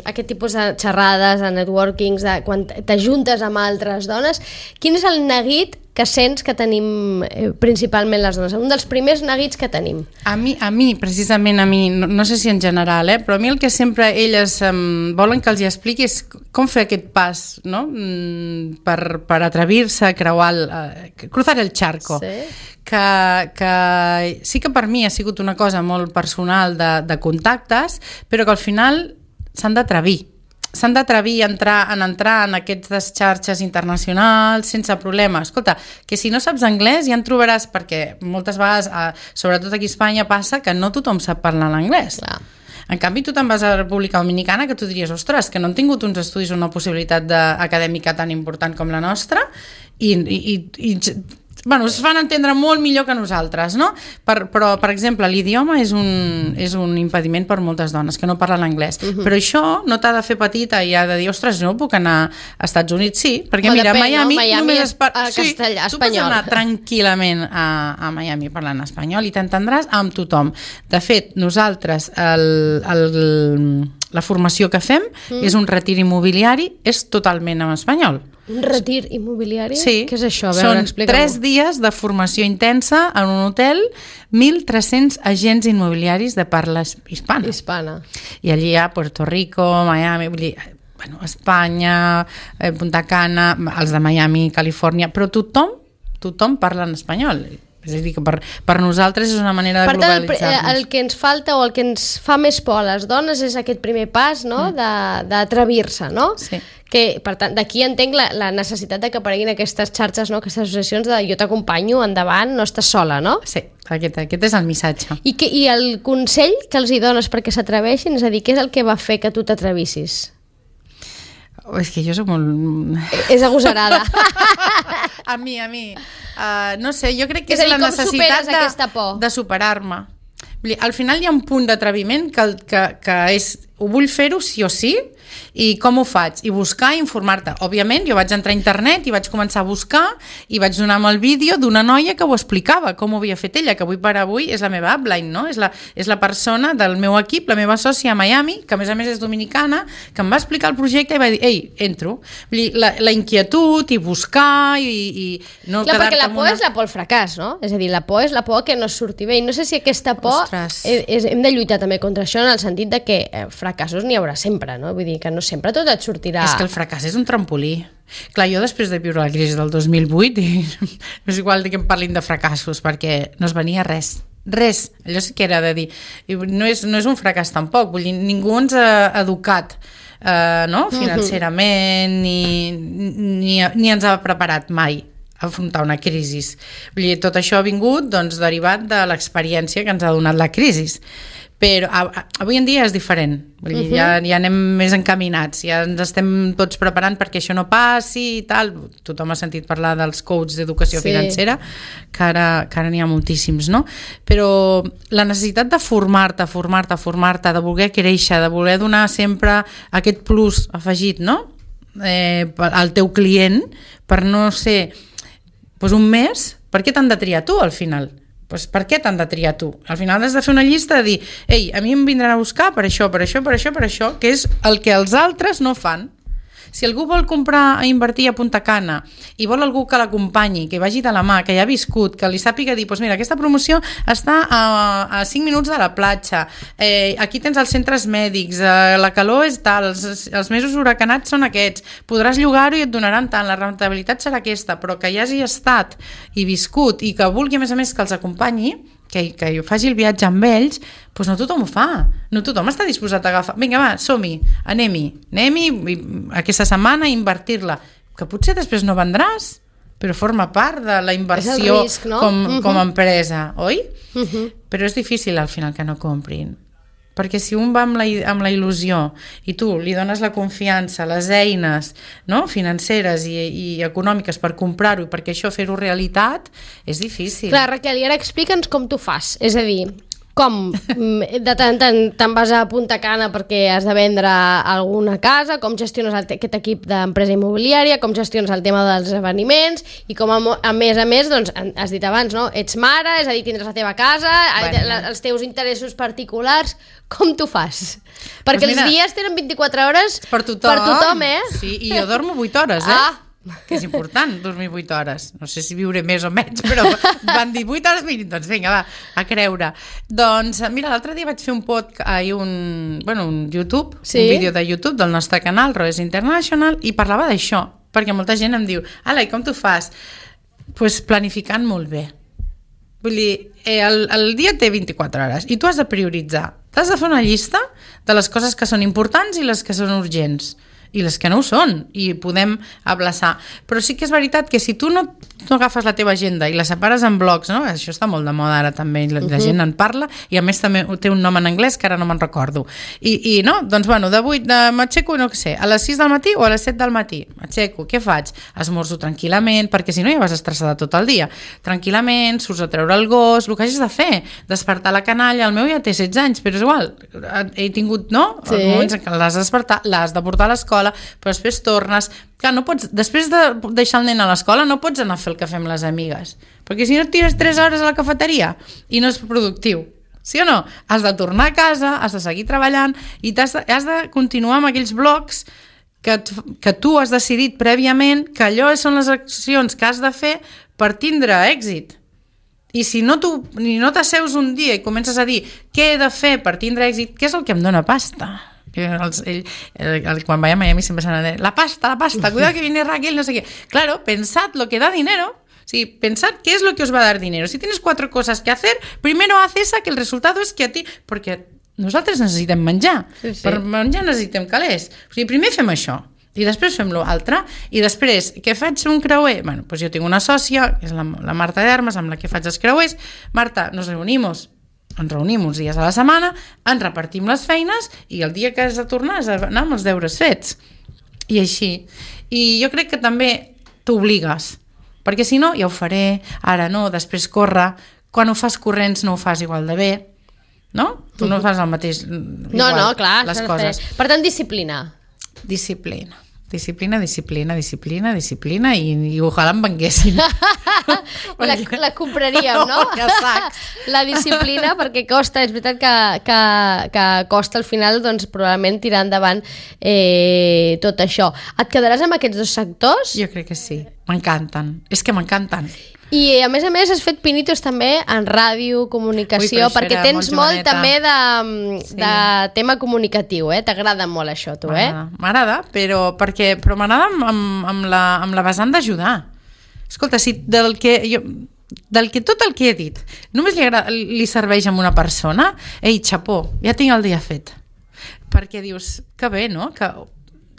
Speaker 2: aquest tipus de xerrades, de networkings, quan t'ajuntes amb altres dones, quin és el neguit que sents que tenim principalment les dones? Un dels primers neguits que tenim.
Speaker 3: A mi, precisament a mi, no sé si en general, però a mi el que sempre elles volen que els hi expliqui és com fer aquest pas, no? Per atrevir-se a cruzar el charco. Sí. Que sí que per mi ha sigut una cosa molt personal de contactes, però que al final s'han d'atrevir a entrar en aquestes xarxes internacionals sense problema. Escolta, que si no saps anglès ja en trobaràs, perquè moltes vegades, sobretot aquí a Espanya, passa que no tothom sap parlar l'anglès. Clar. En canvi, tu te'n vas a la República Dominicana, que tu diries, ostres, que no han tingut uns estudis o una possibilitat acadèmica tan important com la nostra, i es fan entendre molt millor que nosaltres, no? Però, per exemple, l'idioma és un impediment per moltes dones que no parlen anglès. Però això no t'ha de fer petita i ha de dir, ostres, no puc anar als Estats Units? Sí, perquè mira, a Miami només castellà, espanyol. Tu pots anar tranquil·lament a Miami parlant espanyol i t'entendràs amb tothom. De fet, nosaltres la formació que fem és un retir immobiliari, és totalment en espanyol.
Speaker 2: Un retir immobiliari?
Speaker 3: Sí.
Speaker 2: Què és això?
Speaker 3: Són 3 dies de formació intensa en un hotel, 1.300 agents immobiliaris de parla hispana. I allí hi ha Puerto Rico, Miami, vull dir, Espanya, Punta Cana, els de Miami, Califòrnia, però tothom parla en espanyol. És a dir, que per nosaltres és una manera de globalitzar-nos.
Speaker 2: Per tant, el que ens falta o el que ens fa més por a les dones és aquest primer pas, no? D'atrevir-se, no? Sí. Que, per tant, d'aquí entenc la necessitat de que apareguin aquestes xarxes, no? Aquestes associacions de jo t'acompanyo, endavant, no estàs sola, no?
Speaker 3: Sí, aquest és el missatge.
Speaker 2: I el consell que els hi dones perquè s'atreveixin, és a dir, què és el que va fer que tu t'atrevissis?
Speaker 3: És que jo soc molt...
Speaker 2: És agosarada.
Speaker 3: A mi. No sé, jo crec que és la necessitat de superar-me. Al final hi ha un punt d'atreviment que és, ho vull fer-ho sí o sí, i com ho faig? I buscar i informar-te. Òbviament, jo vaig entrar a internet i vaig començar a buscar i vaig donar amb el vídeo d'una noia que ho explicava, com ho havia fet ella, que avui per avui és la meva upline, no? És la persona del meu equip, la meva sòcia a Miami, que a més és dominicana, que em va explicar el projecte i va dir, ei, entro. Vull dir, la inquietud i buscar i no
Speaker 2: clar, perquè la por és la por al fracàs, no? És a dir, la por és la por que no surti bé. I no sé si aquesta por hem de lluitar també contra això en el sentit de que fracassos n'hi haurà sempre, no? Vull dir que no sempre tot et sortirà...
Speaker 3: És que el fracàs és un trampolí. Clar, jo després de viure la crisi del 2008 és igual que em parlin de fracassos perquè no es venia res, allò sí que era de dir no és un fracàs tampoc, vull dir, ningú ens ha educat no? Financerament ni ens ha preparat mai afrontar una crisi. Vull dir, tot això ha vingut doncs, derivat de l'experiència que ens ha donat la crisi. Però avui en dia és diferent. Vull dir, ja anem més encaminats, ja ens estem tots preparant perquè això no passi i tal. Tothom ha sentit parlar dels coaches d'educació financera, que ara n'hi ha moltíssims, no? Però la necessitat de formar-te, de voler créixer, de voler donar sempre aquest plus afegit, no? Al teu client, per no ser un mes, per què t'han de triar tu al final? Per què t'han de triar tu? Al final has de fer una llista de dir, ei, a mi em vindran a buscar per això, que és el que els altres no fan. Si algú vol comprar, invertir a Punta Cana i vol algú que l'acompanyi, que vagi de la mà, que ja ha viscut, que li sàpiga dir, doncs mira, aquesta promoció està a 5 minuts de la platja, aquí tens els centres mèdics, la calor és tal, els mesos huracanats són aquests, podràs llogar-ho i et donaran tant, la rentabilitat serà aquesta, però que hi hagi estat i viscut i que vulgui a més que els acompanyi, que faci el viatge amb ells, doncs no tothom ho fa, no tothom està disposat a agafar, vinga va, som-hi, anem-hi aquesta setmana a invertir-la, que potser després no vendràs, però forma part de la inversió
Speaker 2: risc, no?
Speaker 3: com a empresa, oi? Però és difícil al final que no comprin, perquè si un va amb la il·lusió i tu li dones la confiança, les eines, no? Financeres i econòmiques per comprar-ho i perquè això fer-ho realitat, és difícil.
Speaker 2: Clar, Raquel, i ara explica'ns com t'ho fas, és a dir, com de tant en tant te'n vas a Punta Cana perquè has de vendre alguna casa, com gestiones aquest equip d'empresa immobiliària, com gestiones el tema dels esdeveniments i com a més, doncs, has dit abans, no? Ets mare, és a dir, tindràs la teva casa, els teus interessos particulars, com t'ho fas? Perquè els dies tenen 24 hores per tothom,
Speaker 3: Sí, i jo dormo 8 hores, que és important, dormir 8 hores. No sé si viuré més o menys, però van dir 8 hores mínim, doncs vinga, va, a creure. Doncs, mira, l'altre dia vaig fer un un YouTube, un vídeo de YouTube del nostre canal, Roes International, i parlava d'això, perquè molta gent em diu, ala, i com t'ho fas? Doncs planificant molt bé. Vull dir, el dia té 24 hores i tu has de prioritzar. T'has de fer una llista de les coses que són importants i les que són urgents. I les que no ho són, i podem abraçar. Però sí que és veritat que si tu no agafes la teva agenda i la separes en blocs, no? Això està molt de moda ara també, la gent en parla, i a més també té un nom en anglès que ara no me'n recordo. I no, doncs bueno, m'aixeco, no sé, a les 6 del matí o a les 7 del matí, m'aixeco, què faig? Esmorzo tranquil·lament, perquè si no ja vas estressada tot el dia. Tranquil·lament, surts a treure el gos, el que hagis de fer, despertar la canalla, el meu ja té 16 anys, però és igual, he tingut, no? Els moments en què l'has de despertar, l'has de portar a l'escola, però després tornes. Clar, no pots, després de deixar el nen a l'escola no pots anar a fer el cafè amb les amigues, perquè si no et tires 3 hores a la cafeteria i no és productiu, sí o no? Has de tornar a casa, has de seguir treballant i has de continuar amb aquells blocs que tu has decidit prèviament que allò són les accions que has de fer per tindre èxit. I si no t'asseus un dia i comences a dir què he de fer per tindre èxit, què és el que em dona pasta? Quan vaya a Miami siempre se van a decir la pasta, cuidado que viene Raquel, no sé qué. Claro, pensad lo que da dinero. Sí, pensad qué es lo que os va a dar dinero. Si tienes 4 cosas que hacer, primero haz esa, que el resultado es que a ti... Perquè nosaltres necessitem menjar. Sí. Per menjar necessitem calés. O sigui, primer fem això i després fem l'altre, i després què faig un creuer? Bueno, doncs jo tinc una sòcia, que és la Marta d'Armes, amb la que faig els creuers. Marta, ens reunim uns dies a la setmana, ens repartim les feines i el dia que has de tornar has d'anar amb els deures fets. I així. I jo crec que també t'obligues, perquè si no, ja ho faré, ara no, després corre. Quan ho fas corrents no ho fas igual de bé, no? Tu no fas el mateix igual,
Speaker 2: no, clar,
Speaker 3: les coses.
Speaker 2: Per tant, disciplina.
Speaker 3: Disciplina i ojalà em venguessin.
Speaker 2: La compraríem, no? La disciplina, perquè costa, és veritat que costa al final, doncs probablement tirar endavant tot això. Et quedaràs amb aquests 2 sectors?
Speaker 3: Jo crec que sí, m'encanten, és que m'encanten.
Speaker 2: I a més has fet pinitos també en ràdio, comunicació, perquè tens molt també de tema comunicatiu, t'agrada molt això, tu,
Speaker 3: M'agrada, però m'agrada amb la vessant d'ajudar. Escolta, si tot el que he dit només li serveix a una persona, ei, xapó, ja tinc el dia fet. Perquè dius, que bé, no? Que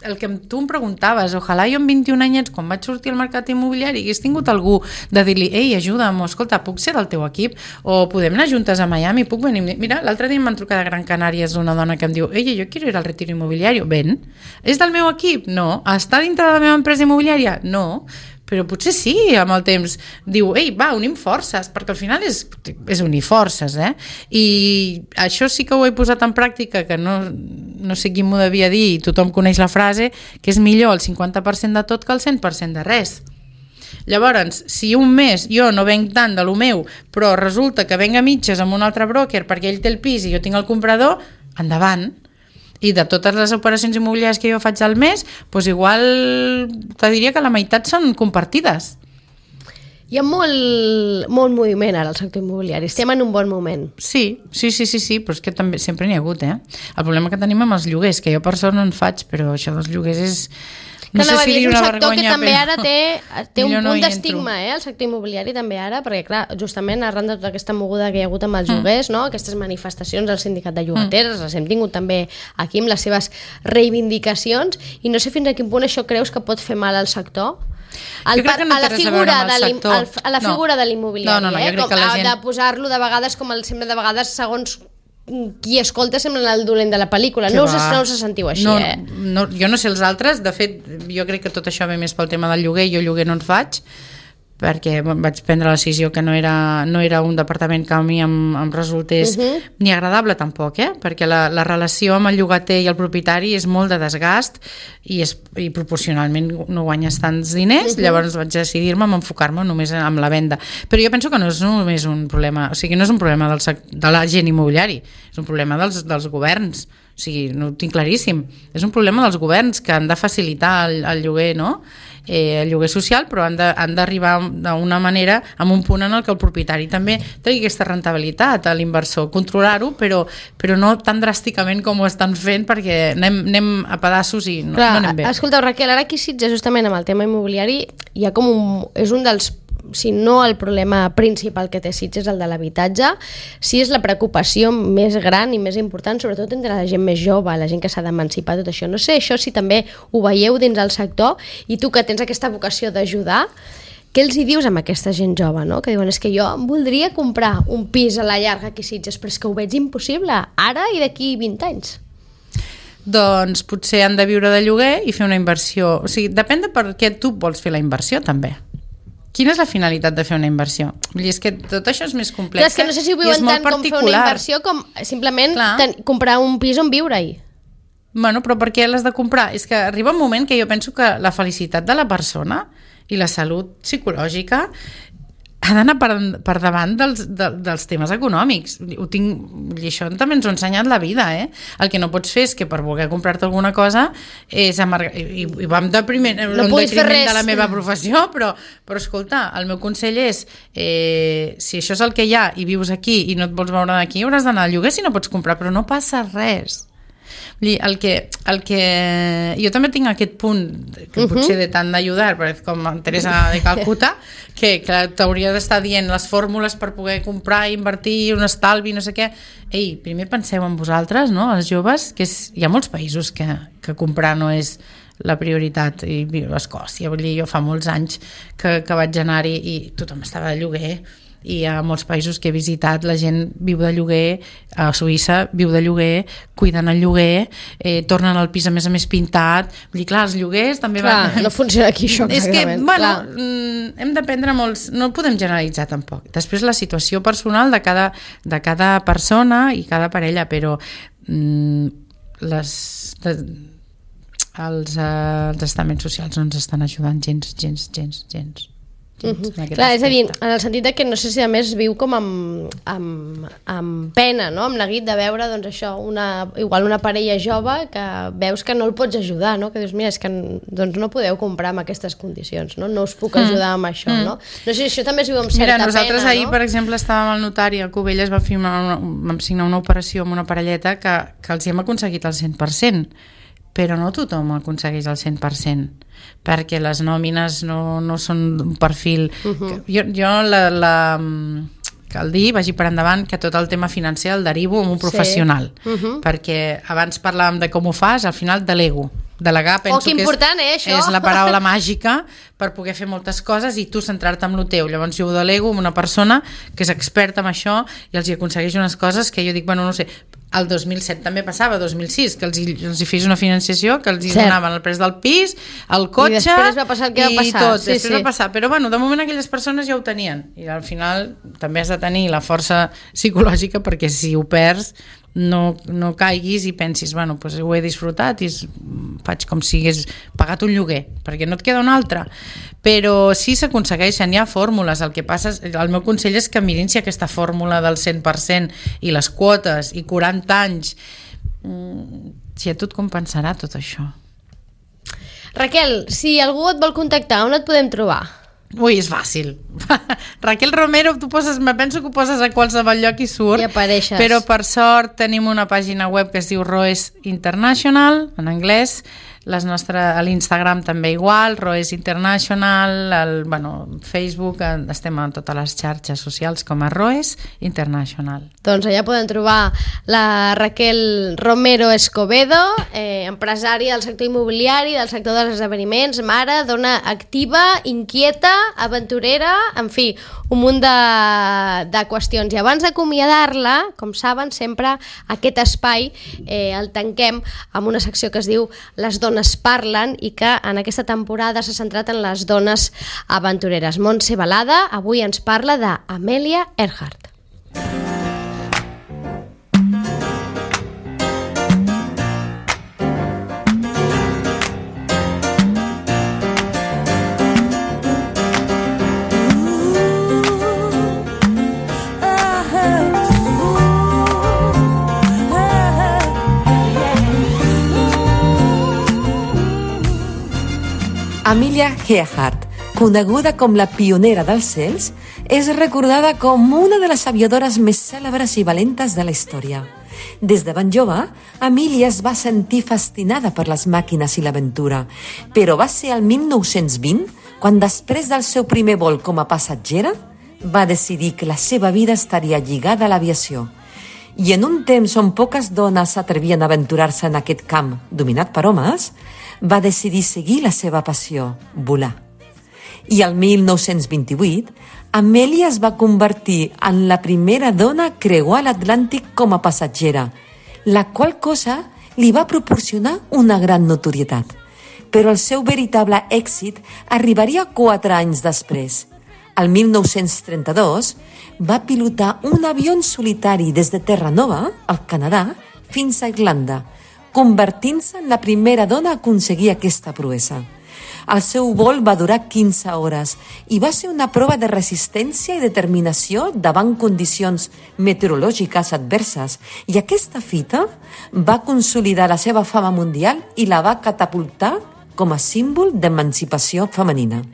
Speaker 3: el que tu em preguntaves, ojalà jo amb 21 anyets, quan vaig sortir al mercat immobiliari, hagués tingut algú de dir-li, ei, ajuda'm, escolta, puc ser del teu equip? O podem anar juntes a Miami? Puc venir? Mira, l'altre dia em van trucar de Gran Canària, és una dona que em diu, ei, jo quiero ir al retiro inmobiliario. Ven. És del meu equip? No. Està dintre de la meva empresa immobiliària? No. Però potser sí, amb el temps diu, ei, va, unim forces, perquè al final és unir forces, I això sí que ho he posat en pràctica, que no sé qui m'ho devia dir, i tothom coneix la frase, que és millor el 50% de tot que el 100% de res. Llavors, si un mes jo no venc tant de lo meu, però resulta que venc a mitges amb un altre broker perquè ell té el pis i jo tinc el comprador, endavant. I de totes les operacions immobiliàries que jo faig al mes, doncs igual te diria que la meitat són compartides.
Speaker 2: Hi ha molt moviment ara al sector immobiliari. Estem en un bon moment.
Speaker 3: Sí, però és que també sempre n'hi ha hagut, El problema que tenim amb els lloguers, que jo per sort no en faig, però això dels lloguers és...
Speaker 2: No sé si dir una vergonya, que també ara té un punt d'estigma, el sector immobiliari també ara, perquè clar, justament arran de tota aquesta moguda que hi ha hagut amb els lloguers, no? Aquestes manifestacions del sindicat de llogateres, les hem tingut també aquí amb les seves reivindicacions, i no sé fins a quin punt això creus que pot fer mal al sector?
Speaker 3: Jo crec que no té res a veure amb el sector.
Speaker 2: A la figura de l'immobiliari,
Speaker 3: jo crec que la gent...
Speaker 2: de posar-lo de vegades com el sempre de vegades segons qui escolta sembla el dolent de la pel·lícula. No us sentiu així,
Speaker 3: jo no sé els altres, de fet jo crec que tot això ve més pel tema del lloguer, jo lloguer no en faig perquè vaig prendre la decisió que no era un departament que a mi em resultés ni agradable tampoc, perquè la relació amb el llogater i el propietari és molt de desgast i proporcionalment no guanyes tants diners, llavors vaig decidir-me a enfocar-me només en la venda. Però jo penso que no és només un problema, o sigui, no és un problema de la gent immobiliari, és un problema dels governs. O sigui, no ho tinc claríssim. És un problema dels governs que han de facilitar el lloguer, no? El lloguer social, però han d'arribar d'una manera amb un punt en el que el propietari també tingui aquesta rentabilitat a l'inversor, controlar-ho, però no tan dràsticament com ho estan fent, perquè anem a pedaços i no anem bé.
Speaker 2: Escolteu, Raquel, ara aquí a Sitges, justament amb el tema immobiliari, hi ha és un dels, si no el problema principal que té Sitges, el de l'habitatge, sí és la preocupació més gran i més important, sobretot entre la gent més jove, la gent que s'ha d'emancipar, tot això. No sé això si també ho veieu dins del sector, i tu que tens aquesta vocació d'ajudar, què els hi dius amb aquesta gent jove, no? Que diuen, és que jo voldria comprar un pis a la llarga aquí a Sitges, però és que ho veig impossible, ara i d'aquí 20 anys.
Speaker 3: Doncs potser han de viure de lloguer i fer una inversió. O sigui, depèn de per què tu vols fer la inversió, també. Quina és la finalitat de fer una inversió? Vull dir, és que tot això és més complex.
Speaker 2: És que no sé si ho viuen tant com fer una inversió com simplement comprar un pis on viure-hi.
Speaker 3: Bueno, però per què l'has de comprar? És que arriba un moment que jo penso que la felicitat de la persona i la salut psicològica ha d'anar per davant dels temes econòmics. I això també ens ho ha ensenyat la vida, El que no pots fer és que per voler comprar-te alguna cosa és i va en detriment de la meva professió, però escolta, el meu consell és si això és el que hi ha i vius aquí i no et vols veure d'aquí, hauràs d'anar al lloguer si no pots comprar, però no passa res. El que jo també tinc aquest punt que potser de tant d'ajudar, com Teresa de Calcuta, que t'hauria d'estar dient les fórmules per poder comprar, invertir, un estalvi, no sé què. Ei, primer penseu en vosaltres, no? Els joves, que hi ha molts països que comprar no és la prioritat, i Escòcia, vull dir, jo fa molts anys que vaig anar-hi i tothom estava de lloguer, i a molts països que he visitat la gent viu de lloguer, a Suïssa viu de lloguer, cuiden el lloguer, tornen al pis a més pintat. Vull dir, clar, els lloguers també
Speaker 2: no funciona aquí això,
Speaker 3: és que, hem d'aprendre molts, no podem generalitzar tampoc. Després la situació personal de cada persona i cada parella, però els estaments socials no ens estan ajudant gens.
Speaker 2: Clar, és a dir, en el sentit que no sé si a més viu com amb pena, no? Amb neguit de veure, doncs això, igual una parella jove que veus que no el pots ajudar, no? Que dius, mira, és que doncs no podeu comprar amb aquestes condicions, no? No us puc ajudar amb això, no? No sé si això també es viu amb certa pena, no?
Speaker 3: Nosaltres ahir, per exemple, estàvem al notari a Cubelles, vam signar una operació amb una parelleta que els hi hem aconseguit el 100%, però no tothom aconsegueix el 100%, perquè les nòmines no són d'un perfil... Jo cal dir, vagi per endavant, que tot el tema financer el derivo amb un professional, perquè abans parlàvem de com ho fas, al final delego. delegar, penso
Speaker 2: que important, això.
Speaker 3: És la paraula màgica per poder fer moltes coses i tu centrar-te en el teu. Llavors jo ho delego amb una persona que és experta en això i els hi aconsegueix unes coses que jo dic, bueno, no sé, el 2007 també passava, 2006, que els hi fes una financiació, que els hi donaven el pres del pis, el cotxe... I
Speaker 2: després va passar el que va passar.
Speaker 3: Tot, després va passar. Però bueno, de moment aquelles persones ja ho tenien. I al final també has de tenir la força psicològica perquè si ho perds no caiguis i pensis, bueno, pues ho he disfrutat i faig com si hagués pagat un lloguer, perquè no et queda un altre. Però sí s'aconsegueixen, hi ha fórmules. El que passa, el meu consell és que mirin si aquesta fórmula del 100% i les quotes i 40 anys, si a tu et compensarà tot això.
Speaker 2: Raquel, si algú et vol contactar, on et podem trobar?
Speaker 3: Ui, és fàcil. Raquel Romero, me penso que ho poses a qualsevol lloc i surt.
Speaker 2: I apareixes.
Speaker 3: Però per sort tenim una pàgina web que es diu Roes International, en anglès. A l'Instagram també igual, Roes International, Facebook, estem a totes les xarxes socials com a Roes International.
Speaker 2: Doncs allà poden trobar la Raquel Romero Escobedo, empresària del sector immobiliari, del sector dels esdeveniments, mare, dona activa, inquieta, aventurera, en fi, un munt de qüestions. I abans d'acomiadar-la, com saben, sempre aquest espai el tanquem amb una secció que es diu Les dones parlen i que en aquesta temporada s'ha centrat en les dones aventureres. Montse Balada avui ens parla d'Amelia Earhart.
Speaker 4: Amelia Earhart, coneguda com la pionera dels cels, és recordada com una de les aviadores més cèlebres i valentes de la història. Des de ben jove, Amelia es va sentir fascinada per les màquines i l'aventura, però va ser el 1920 quan, després del seu primer vol com a passatgera, va decidir que la seva vida estaria lligada a l'aviació. I en un temps on poques dones s'atrevien a aventurar-se en aquest camp dominat per homes, va decidir seguir la seva passió, volar. I el 1928, Amelia es va convertir en la primera dona a creuar l'Atlàntic com a passatgera, la qual cosa li va proporcionar una gran notorietat. Però el seu veritable èxit arribaria 4 anys després. El 1932 va pilotar un avió en solitari des de Terranova, al Canadà, fins a Irlanda, convertint-se en la primera dona a aconseguir aquesta proesa. El seu vol va durar 15 hores i va ser una prova de resistència i determinació davant condicions meteorològiques adverses, i aquesta fita va consolidar la seva fama mundial i la va catapultar com a símbol d'emancipació femenina.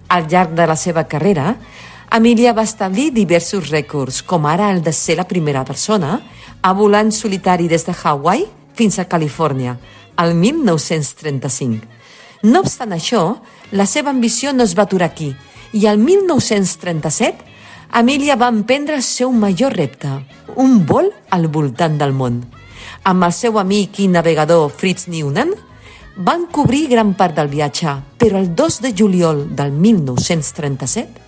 Speaker 4: Al llarg de la seva carrera, Amelia va establir diversos rècords, com ara el de ser la primera persona a volar en solitari des de Hawaii fins a Califòrnia, el 1935. No obstant això, la seva ambició no es va aturar aquí, i el 1937 Amelia va emprendre el seu major repte, un vol al voltant del món. Amb el seu amic i navegador Fritz Neumann van cobrir gran part del viatge, però el 2 de juliol del 1937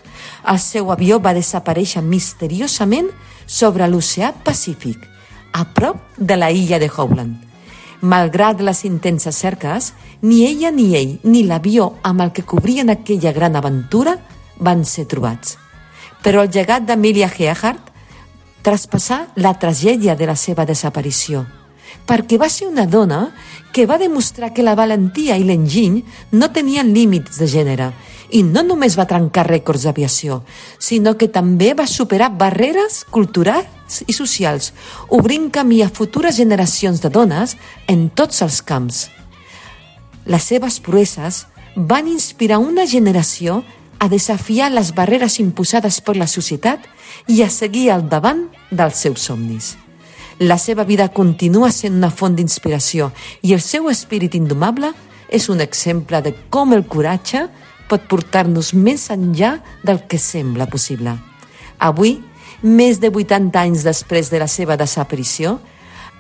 Speaker 4: el seu avió va desaparèixer misteriosament sobre l'oceà Pacífic, a prop de la illa de Howland. Malgrat les intenses cerques, ni ella ni ell, ni l'avió amb el que cobrien aquella gran aventura van ser trobats. Però el llegat d'Amelia Earhart traspassà la tragèdia de la seva desaparició, perquè va ser una dona que va demostrar que la valentia i l'enginy no tenien límits de gènere, i no només va trencar rècords d'aviació, sinó que també va superar barreres culturals i socials, obrint camí a futures generacions de dones en tots els camps. Les seves proeses van inspirar una generació a desafiar les barreres imposades per la societat i a seguir al davant dels seus somnis. La seva vida continua sent una font d'inspiració i el seu espírit indomable és un exemple de com el coratge pot portar-nos més enllà del que sembla possible. Avui, més de 80 anys després de la seva desaparició,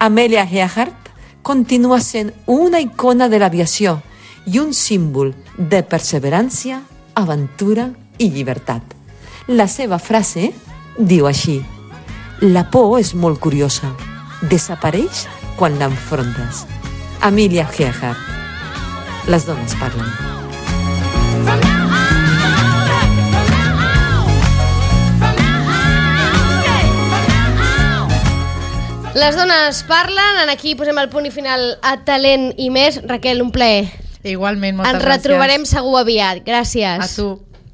Speaker 4: Amelia Earhart continua sent una icona de l'aviació i un símbol de perseverància, aventura i llibertat. La seva frase diu així: la por és molt curiosa, desapareix quan l'enfrontes. Amelia Earhart. Les dones parlen.
Speaker 2: Les dones parlen, aquí posem el punt i final a Talent i més. Raquel, un plaer.
Speaker 3: Igualment, moltes gràcies.
Speaker 2: Ens retrobarem segur aviat. Gràcies.
Speaker 3: A tu.